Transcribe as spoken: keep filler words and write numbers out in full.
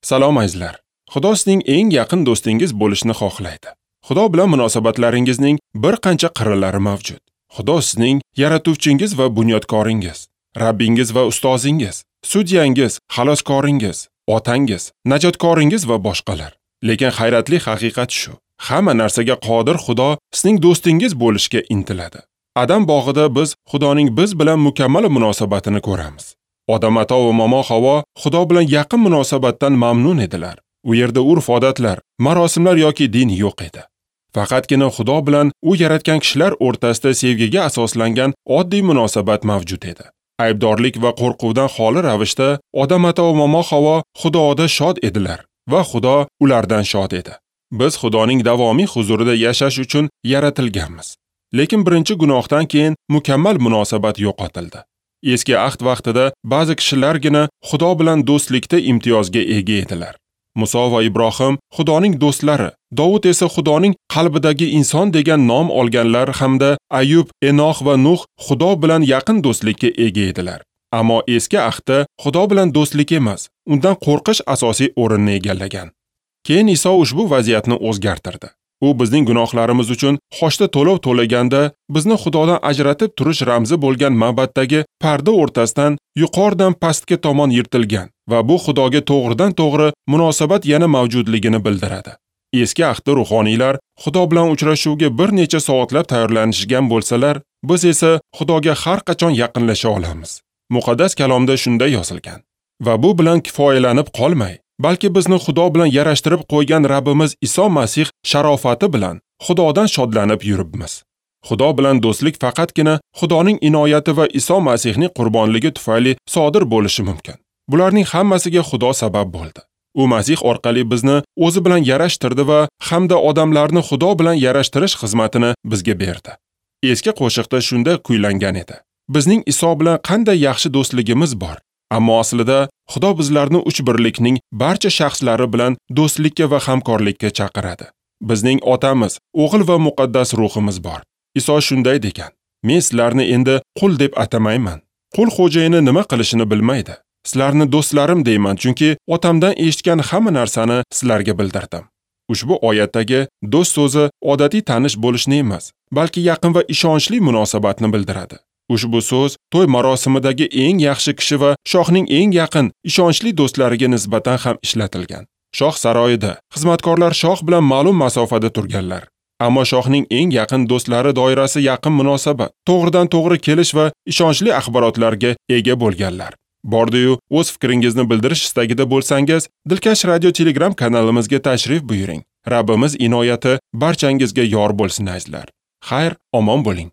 Salom azizlar. Xudo sizning eng yaqin do'stingiz bo'lishni xohlaydi. Xudo bilan munosabatlaringizning bir qancha qirralari mavjud. Xudo sizning yaratuvchingiz va bunyodkoringiz, Rabbingiz va ustozingiz, sudyangiz, xaloskoringiz, otangiz, najotkoringiz va boshqalar. Lekin hayratli haqiqat shu: hamma narsaga qodir Xudo sizning do'stingiz bo'lishga intiladi. Adam bog'ida biz Xudoning biz bilan mukammal munosabatini ko'ramiz. Odam ata va momo Havo Xudo bilan yaqin munosabatdan mamnun edilar. U yerda urf-odatlar, marosimlar yoki din yo'q edi. Faqatgina Xudo bilan u yaratgan kishilar o'rtasida sevgiga asoslangan oddiy munosabat mavjud edi. Aybdorlik va qo'rquvdan xoli ravishda Odam ata va momo Havo Xudoda shod edilar va Xudo ulardan shod edi. Biz Xudoning davomiy huzurida yashash uchun yaratilganmiz. Lekin birinchi gunohdan keyin mukammal munosabat yo'qotildi. Eski ahd vaqtida ba'zi kishilargina Xudo bilan do'stlikda imtiyozga ega edilar. Muso va Ibrohim Xudoning do'stlari, Dovud esa Xudoning qalbidagi inson degan nom olganlar hamda Ayub, Enox va Nuh Xudo bilan yaqin do'stlikka ega edilar. Ammo eski ahdda Xudo bilan do'stlik emas, undan qo'rqish asosiy o'rinni egallagan. Keyin Iso ushbu vaziyatni o'zgartirdi. U bizning gunohlarimiz uchun xochda to'lov to'laganda bizni Xudodan ajratib turish ramzi bo'lgan ma'baddagi parda o'rtasidan yuqoridan pastga tomon yirtilgan va bu Xudoga to'g'ridan-to'g'ri munosabat yana mavjudligini bildiradi. Eski ahdda ruhoniylar Xudo bilan uchrashuvga bir necha soatlab tayyorlanishgan bo'lsalar, biz esa Xudoga har qachon yaqinlasha olamiz. Muqaddas kalomda shunday yozilgan. Va bu bilan kifoyalanib qolmay, balki bizni Xudo bilan yarashtirib qo'ygan Rabbimiz Iso Masih sharofati bilan Xudodan shodlanib yuribmiz. Xudo bilan do'stlik faqatgina Xudoning inoyati va Iso Masihning qurbonligi tufayli sodir bo'lishi mumkin. Bularning hammasiga Xudo sabab bo'ldi. U Masih orqali bizni o'zi bilan yarashtirdi va hamda odamlarni Xudo bilan yarashtirish xizmatini bizga berdi. Eski qo'shiqda shunda kuylangan edi: Bizning Iso bilan qanday yaxshi do'stligimiz bor. Ammo aslida Xudo bizlarni uch birlikning barcha shaxslari bilan do'stlikka va hamkorlikka chaqiradi. Bizning otamiz, o'g'il va muqaddas ruhimiz bor. Iso shunday degan: Men sizlarni endi qul deb atamayman. Qul xo'jayini nima qilishini bilmaydi. Sizlarni do'stlarim deyman, chunki otamdan eshitgan hamma narsani sizlarga bildirdim. Ushbu oyatdagi do'st so'zi odatiy tanish bo'lishni emas, balki yaqin va ishonchli munosabatni bildiradi. Ushbu so'z to'y marosimidagi eng yaxshi kishi va shohning eng yaqin, ishonchli do'stlariga nisbatan ham ishlatilgan. Shoh saroyida xizmatkorlar shoh bilan ma'lum masofada turganlar. Ammo shohning eng yaqin do'stlari doirasi yaqin munosabat, to'g'ridan-to'g'ri kelish va ishonchli axborotlarga ega bo'lganlar. Bordi-yu, o'z fikringizni bildirish istagida bo'lsangiz, Dilkash Radio Telegram kanalimizga tashrif buyuring. Rabbimiz inoyati barchangizga yor bo'lsin azizlar. Xayr, omon bo'ling.